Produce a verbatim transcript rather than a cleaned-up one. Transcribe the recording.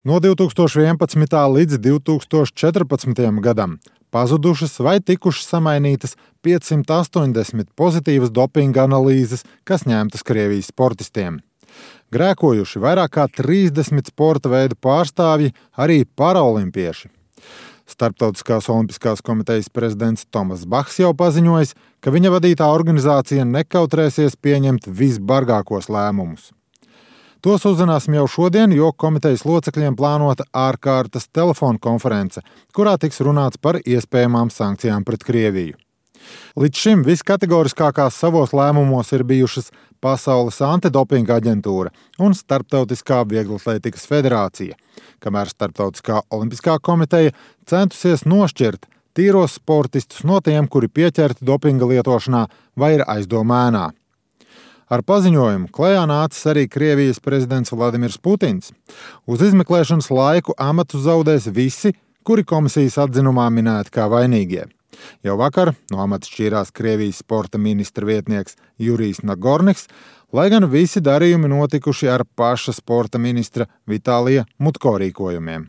No divtūkstoš vienpadsmitā līdz divtūkstoš četrpadsmitajam gadam pazudušas vai tikušas samainītas piecsimt astoņdesmit pozitīvas dopinga analīzes, kas ņemtas Krievijas sportistiem. Grēkojuši vairāk kā trīsdesmit sporta veidu pārstāvji, arī paraolimpieši. Starptautiskās olimpiskās komitejas prezidents Tomas Bahs jau paziņojis, ka viņa vadītā organizācija nekautrēsies pieņemt visbargākos lēmumus. Tos uzzināsim jau šodien, jo komitejas locekļiem plānota ārkārtas telefona konference, kurā tiks runāts par iespējamām sankcijām pret Krieviju. Līdz šim viskategoriskākās savos lēmumos ir bijušas Pasaules antidopinga aģentūra un Starptautiskā vieglatlētikas federācija, kamēr Starptautiskā olimpiskā komiteja centusies nošķirt tīros sportistus no tiem, kuri pieķerti dopinga lietošanā vai ir aizdomēnā. Ar paziņojumu klajā nācis arī Krievijas prezidents Vladimirs Putins. Uz izmeklēšanas laiku amatu zaudēs visi, kuri komisijas atzinumā minēti kā vainīgie. Jau vakar no amata šķīrās Krievijas sporta ministra vietnieks Jurijs Nagorniks, lai gan visi darījumi notikuši ar paša sporta ministra Vitālija Mutko rīkojumiem.